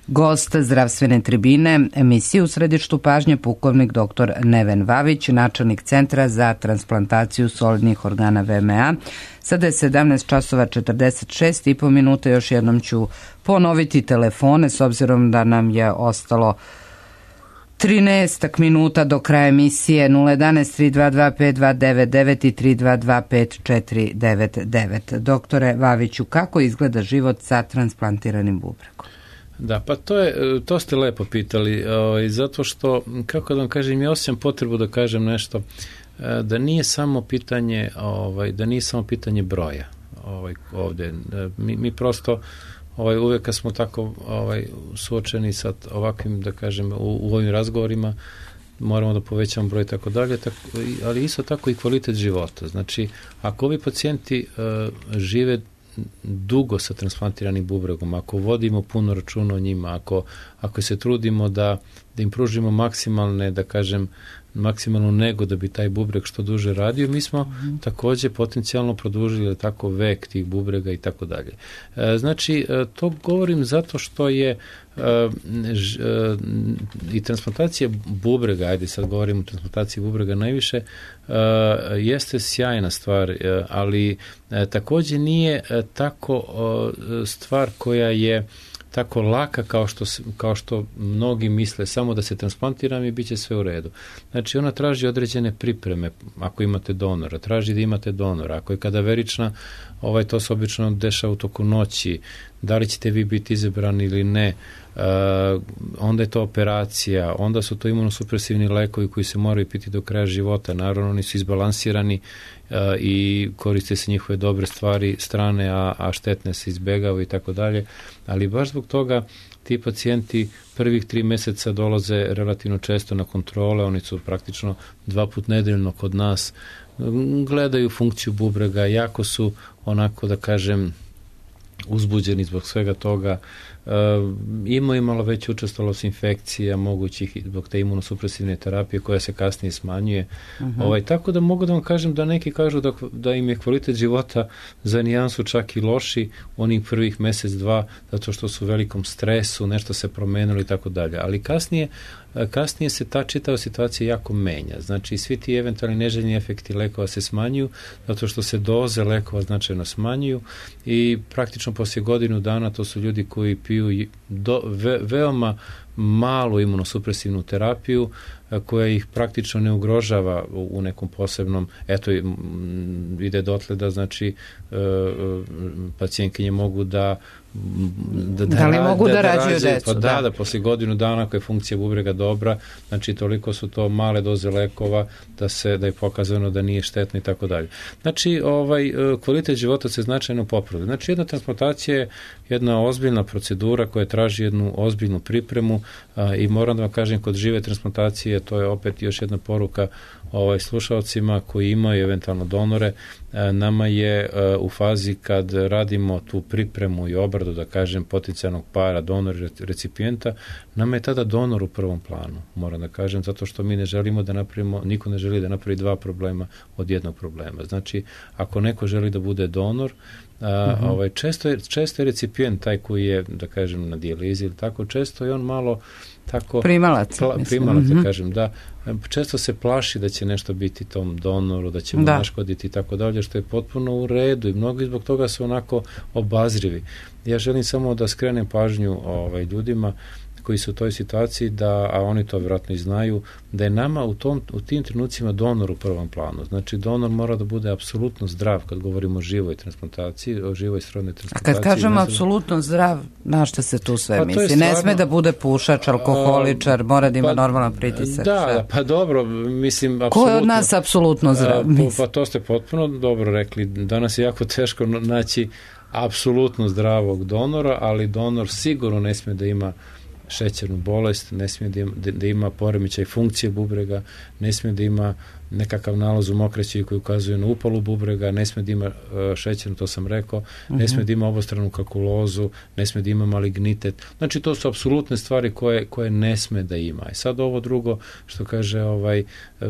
Gost zdravstvene tribine emisije U središtu pažnje pukovnik dr. Neven Vavić, načelnik Centra za transplantaciju solidnih organa VMA. Sada je 17:46 minuta. Još jednom ću ponoviti telefone s obzirom da nam je ostalo 13 minuta do kraja emisije. 011 322 5299 i 322 5499. Doktore Vaviću, kako izgleda život sa transplantiranim bubregom? Da, pa to ste lepo pitali, zato što, kako da vam kažem, ja osjećam potrebu da kažem nešto da nije samo pitanje broja ovdje. Mi prosto uvijek kad smo tako suočeni sa ovakvim, da kažem, u ovim razgovorima, moramo da povećamo broj i tako dalje, ali isto tako i kvalitet života. Znači, ako ovi pacijenti žive dugo sa transplantiranim bubregom, ako vodimo puno računa o njima, ako se trudimo da im pružimo maksimalnu nego da bi taj bubreg što duže radio, mi smo također potencijalno produžili tako vek tih bubrega i tako dalje. Znači, to govorim zato što je i transplantacija bubrega, ajde sad govorimo o transplantaciji bubrega najviše, jeste sjajna stvar, ali također nije tako stvar koja je tako laka kao što mnogi misle, samo da se transplantiram i bit će sve u redu. Znači, ona traži određene pripreme, ako imate donora, traži da imate donora, ako je kadaverična, to se obično dešava u toku noći, da li ćete vi biti izabrani ili ne, onda je to operacija, onda su to imunosupresivni lekovi koji se moraju piti do kraja života, naravno oni su izbalansirani i koriste se njihove dobre strane, a štetne se izbjegavaju i tako dalje, ali baš zbog toga ti pacijenti prvih 3 mjeseca dolaze relativno često na kontrole, oni su praktično 2 puta nedeljno kod nas, gledaju funkciju bubrega, jako su onako, da kažem, uzbuđeni zbog svega toga, imaju malo veću učestalost infekcija mogućih zbog te imunosupresivne terapije koja se kasnije smanjuje. Tako da mogu da vam kažem da neki kažu da im je kvalitet života za nijansu čak i loši onih prvih mjesec, 2, zato što su u velikom stresu, nešto se promenilo i tako dalje. Ali kasnije se ta čitava situacija jako menja. Znači, svi ti eventualni neželjeni efekti lekova se smanjuju, zato što se doze lekova značajno smanjuju i praktično poslije godinu dana to su ljudi koji piju veoma malu imunosupresivnu terapiju koja ih praktično ne ugrožava u nekom posebnom, ide dotle da znači pacijentkinje mogu da li mogu da rađaju decu? Pa da, poslije godinu dana koja je funkcija bubrega dobra, znači toliko su to male doze lekova da je pokazano da nije štetno i tako dalje. Znači, kvalitet života se značajno popravlja. Znači, jedna transplantacija je jedna ozbiljna procedura koja traži jednu ozbiljnu pripremu i moram da vam kažem, kod žive transplantacije, to je opet još jedna poruka slušalcima koji imaju eventualno donore, nama je u fazi kad radimo tu pripremu i obradu, da kažem, potencijalnog para, donora i recipijenta, nama je tada donor u prvom planu, moram da kažem, zato što mi ne želimo da napravimo, niko ne želi da napravi 2 problema od jednog problema. Znači, ako neko želi da bude donor, često je recipijent taj koji je, da kažem, na dijalizi ili tako, često je on malo tako primalac, da kažem, da često se plaši da će nešto biti tom donoru, da će mu naškoditi i tako dalje, što je potpuno u redu i mnogi zbog toga su onako obazrivi. Ja želim samo da skrenem pažnju ljudima koji su u toj situaciji, a oni to vjerojatno i znaju, da je nama u tim trenucima donor u prvom planu. Znači, donor mora da bude apsolutno zdrav kad govorimo o živoj transplantaciji, o živoj srodnoj transplantaciji. A kad kažemo apsolutno zdrav, na što se tu sve misli? Stvarno, ne sme da bude pušač, alkoholičar, mora da ima normalan pritisak. Da, pa dobro, mislim, apsolutno. Ko je od nas apsolutno zdrav? Pa to ste potpuno dobro rekli. Danas je jako teško naći apsolutno zdravog donora, ali donor sigurno ne smije da ima šećernu bolest, ne smije da ima poremećaj funkcije bubrega, ne smije da ima nekakav nalaz u mokraći koji ukazuje na upalu bubrega, ne smije da ima šećernu, to sam rekao, ne smije da ima obostranu kalkulozu, ne smije da ima malignitet. Znači, to su apsolutne stvari koje ne smije da ima. I sad ovo drugo što kaže,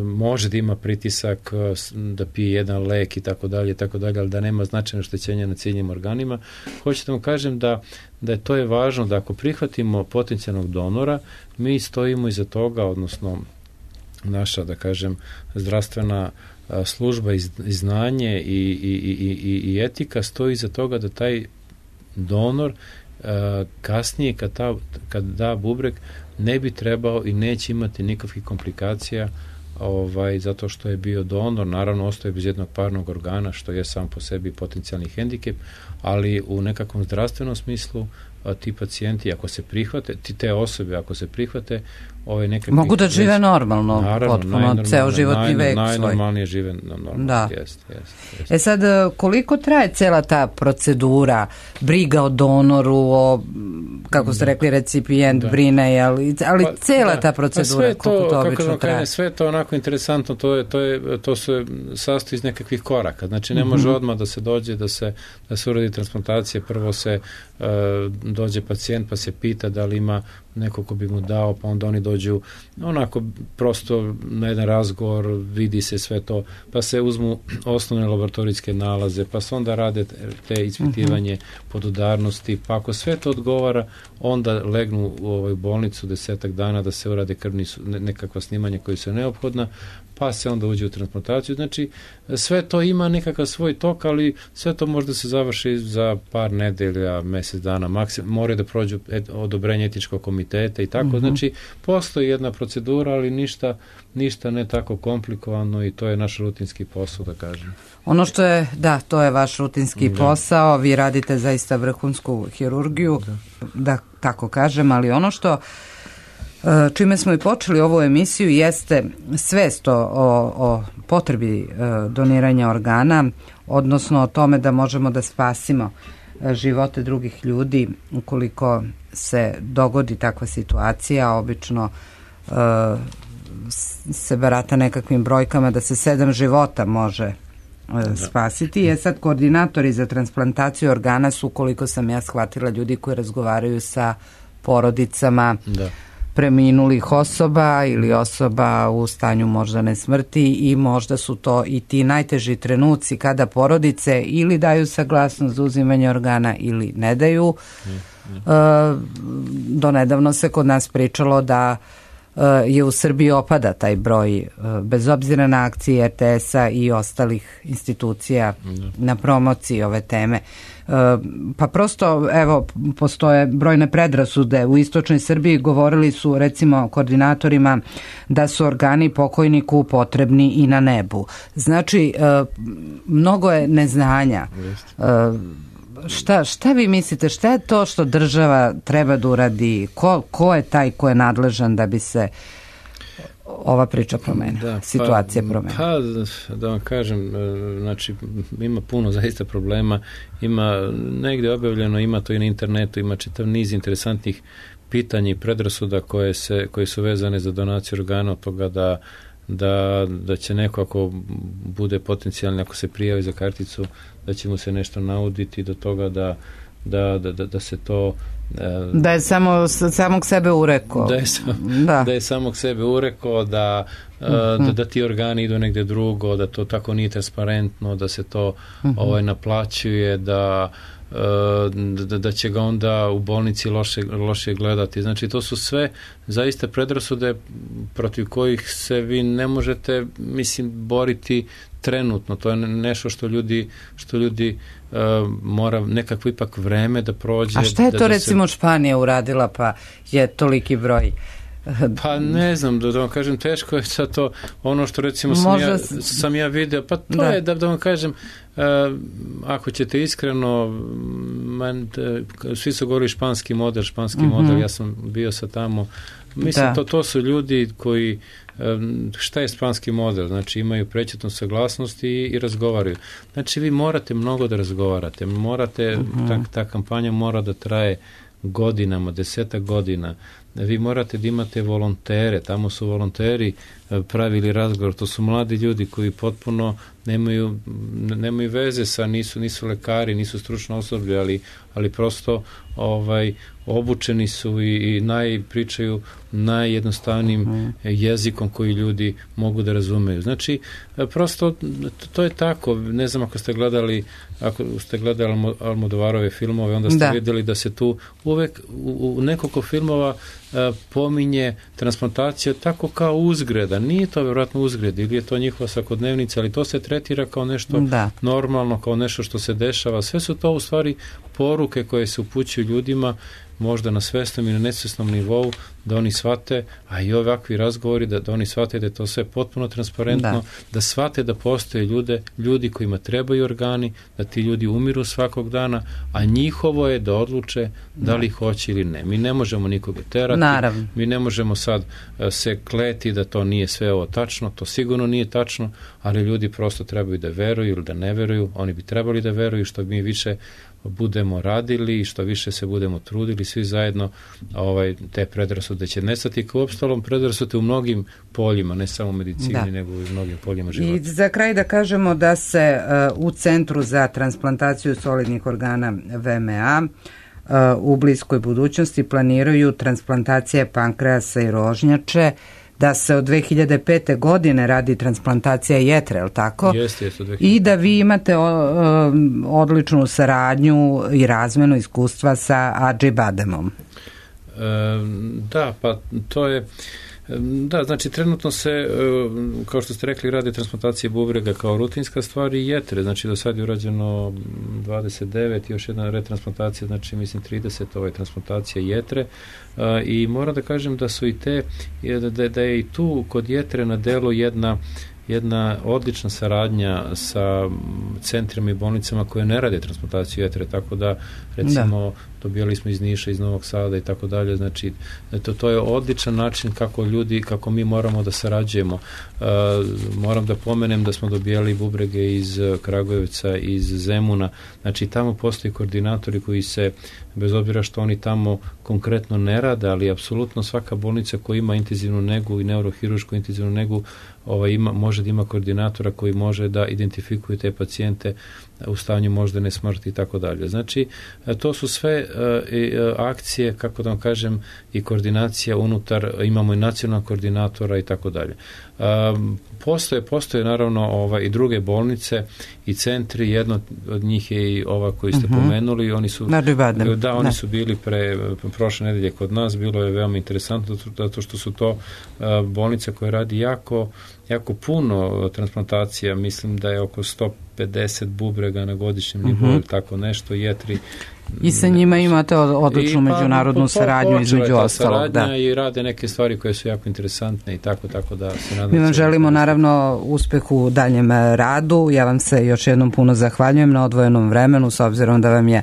može da ima pritisak, da pije jedan lek i tako dalje, ali da nema značajno oštećenja na ciljnim organima. Hoću da vam kažem da to je važno, da ako prihvatimo potencijalnog donora, mi stojimo iza toga, odnosno naša, da kažem, zdravstvena služba i znanje i etika stoji iza toga da taj donor kasnije kad da bubreg ne bi trebao i neće imati nikakvih komplikacija zato što je bio donor, naravno ostaje bez jednog parnog organa, što je sam po sebi potencijalni hendikep, ali u nekakvom zdravstvenom smislu ti pacijenti, ako se prihvate, te osobe, ako se prihvate, mogu da žive normalno, naravno, potpuno, ceo životni vek svoj. Najnormalnije žive normalno. Da. Jest. Sad, koliko traje cela ta procedura, briga o donoru, kako ste rekli, recipijent brine, ali cela ta procedura, koliko to obično traje? Sve je to onako interesantno, to se sastoji iz nekakvih koraka. Znači, ne može odmah da se dođe, da se uradi transplantacija, prvo se dođe pacijent pa se pita da li ima neko ko bi mu dao, pa onda oni dođu onako prosto na jedan razgovor, vidi se sve to, pa se uzmu osnovne laboratorijske nalaze, pa se onda rade te ispitivanje podudarnosti, pa ako sve to odgovara, onda legnu u bolnicu 10 dana da se urade nekakva snimanja koji su neophodna, pa se onda uđe u transplantaciju. Znači, sve to ima nekakav svoj tok, ali sve to možda se završi za par nedelja, mjesec dana, maksimum, moraju da prođu odobrenje etičkog komiteta i tako. Znači, postoji jedna procedura, ali ništa ne tako komplikovano i to je naš rutinski posao, da kažem. Ono što je, to je vaš rutinski posao, vi radite zaista vrhunsku hirurgiju, da tako kažem, ali ono što čime smo i počeli ovu emisiju jeste svest o potrebi doniranja organa, odnosno o tome da možemo da spasimo živote drugih ljudi ukoliko se dogodi takva situacija. Obično se barata nekakvim brojkama da se 7 života može spasiti. Je sad koordinatori za transplantaciju organa su, koliko sam ja shvatila, ljudi koji razgovaraju sa porodicama preminulih osoba ili osoba u stanju moždane smrti i možda su to i ti najteži trenuci kada porodice ili daju saglasnost za uzimanje organa ili ne daju. Donedavno se kod nas pričalo da je u Srbiji opada taj broj, bez obzira na akcije RTS-a i ostalih institucija na promociji ove teme. Pa prosto, evo, postoje brojne predrasude. U istočnoj Srbiji govorili su, recimo, koordinatorima da su organi pokojniku potrebni i na nebu. Znači, mnogo je neznanja. Šta vi mislite, šta je to što država treba da uradi? Ko je taj ko je nadležan da bi se ova priča promenila, situacija promenila? Pa, da vam kažem, znači, ima puno zaista problema, ima negdje objavljeno, ima to i na internetu, ima čitav niz interesantnih pitanja i predrasuda koje su vezane za donaciju organa, od toga da će neko, ako bude potencijalni, ako se prijavi za karticu, da će mu se nešto nauditi, do toga da se to da je samog sebe urekao, da je samog sebe urekao, da ti organi idu negdje drugo, da to tako nije transparentno, da se to naplaćuje, da će ga onda u bolnici loše gledati. Znači, to su sve zaista predrasude protiv kojih se vi ne možete, boriti trenutno. To je nešto što ljudi mora nekako ipak vreme da prođe. A šta je to recimo Španija uradila pa je toliki broj? Pa ne znam, da vam kažem, teško je sad to, ono što recimo sam ja vidio, pa to je da vam kažem, ako ćete iskreno, svi su govorili španski model, ja sam bio sad tamo, mislim, to su ljudi koji, šta je španski model, znači imaju prečetnu saglasnost i razgovaraju. Znači vi morate mnogo da razgovarate, ta kampanja mora da traje godinama, 10 godina. Vi morate da imate volontere, tamo su volonteri pravili razgovor, to su mladi ljudi koji potpuno nemaju veze sa, nisu lekari, nisu stručno osoblje, ali prosto obučeni su i pričaju najjednostavnijim jezikom koji ljudi mogu da razumeju. Znači, prosto to je tako. Ne znam ako ste gledali Almodovarove filmove, onda ste vidjeli da se tu uvek u nekoliko filmova pominje transplantacija tako kao uzgreda. Nije to vjerojatno uzgred ili je to njihova svakodnevnica, ali to se tretira kao nešto normalno, kao nešto što se dešava. Sve su to u stvari poruke koje se upućuju ljudima možda na svesnom i na nesvesnom nivou da oni shvate, a i ovakvi razgovori da oni shvate da je to sve potpuno transparentno, da shvate da postoje ljudi kojima trebaju organi, da ti ljudi umiru svakog dana, a njihovo je da odluče da li hoće ili ne. Mi ne možemo nikoga terati, Naravno. mi ne možemo sad se kleti da to nije sve ovo tačno, to sigurno nije tačno, ali ljudi prosto trebaju da veruju ili da ne veruju, oni bi trebali da veruju, što mi više budemo radili i što više se budemo trudili svi zajedno, te predrasude će nestati, kao uopstalom predrasude u mnogim poljima, ne samo u medicini, nego i u mnogim poljima života. I za kraj da kažemo da se u Centru za transplantaciju solidnih organa VMA u bliskoj budućnosti planiraju transplantacije pankreasa i rožnjače, da se od 2005. godine radi transplantacija jetre, je li tako? Jeste, I da vi imate odličnu saradnju i razmenu iskustva sa Adži Bademom. Da, pa to je... Da, znači trenutno se, kao što ste rekli, radi transplantacije bubrega kao rutinska stvar i jetre, znači do sad je urađeno 29, još jedna retransplantacija, znači mislim 30 transplantacija jetre, i moram da kažem da su i te, da je i tu kod jetre na delu jedna odlična saradnja sa centrima i bolnicama koje ne rade transplantaciju jetre, tako da recimo dobijali smo iz Niša, iz Novog Sada i tako dalje, znači to je odličan način kako mi moramo da sarađujemo. Moram da pomenem da smo dobijali bubrege iz Kragujevca, iz Zemuna, znači tamo postoji koordinatori koji se, bez obzira što oni tamo konkretno ne rade, ali apsolutno svaka bolnica koja ima intenzivnu negu i neurohirušku intenzivnu negu može da ima koordinatora koji može da identifikuje te pacijente u stanju moždane smrti i tako dalje. Znači, to su sve akcije, kako da vam kažem, i koordinacija unutar, imamo i nacionalnog koordinatora i tako dalje. Postoje naravno i druge bolnice i centri, jedno od njih je i ova koju ste pomenuli, oni su oni su bili prošle nedelje kod nas, bilo je veoma interesantno zato što su to bolnice koje radi jako puno transplantacija, mislim da je oko 150 bubrega na godišnjem nivou, tako nešto, jetri. I sa njima imate odličnu međunarodnu saradnju između ostalog. I rade neke stvari koje su jako interesantne i tako da se nadam. Mi vam želimo naravno uspeh u daljem radu. Ja vam se još jednom puno zahvaljujem na odvojenom vremenu, s obzirom da vam je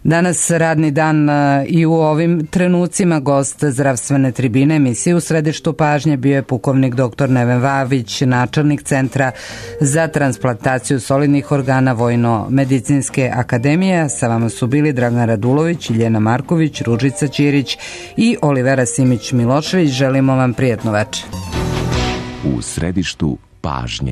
danas radni dan i u ovim trenucima gost zdravstvene tribine emisije U središtu pažnje bio je pukovnik dr. Neven Vavić, načelnik Centra za transplantaciju solidnih organa Vojno-medicinske akademije. Sa vama su bili Dragan Radulović, Iljena Marković, Ružica Ćirić i Olivera Simić-Milošević. Želimo vam prijatno večer. U središtu pažnje.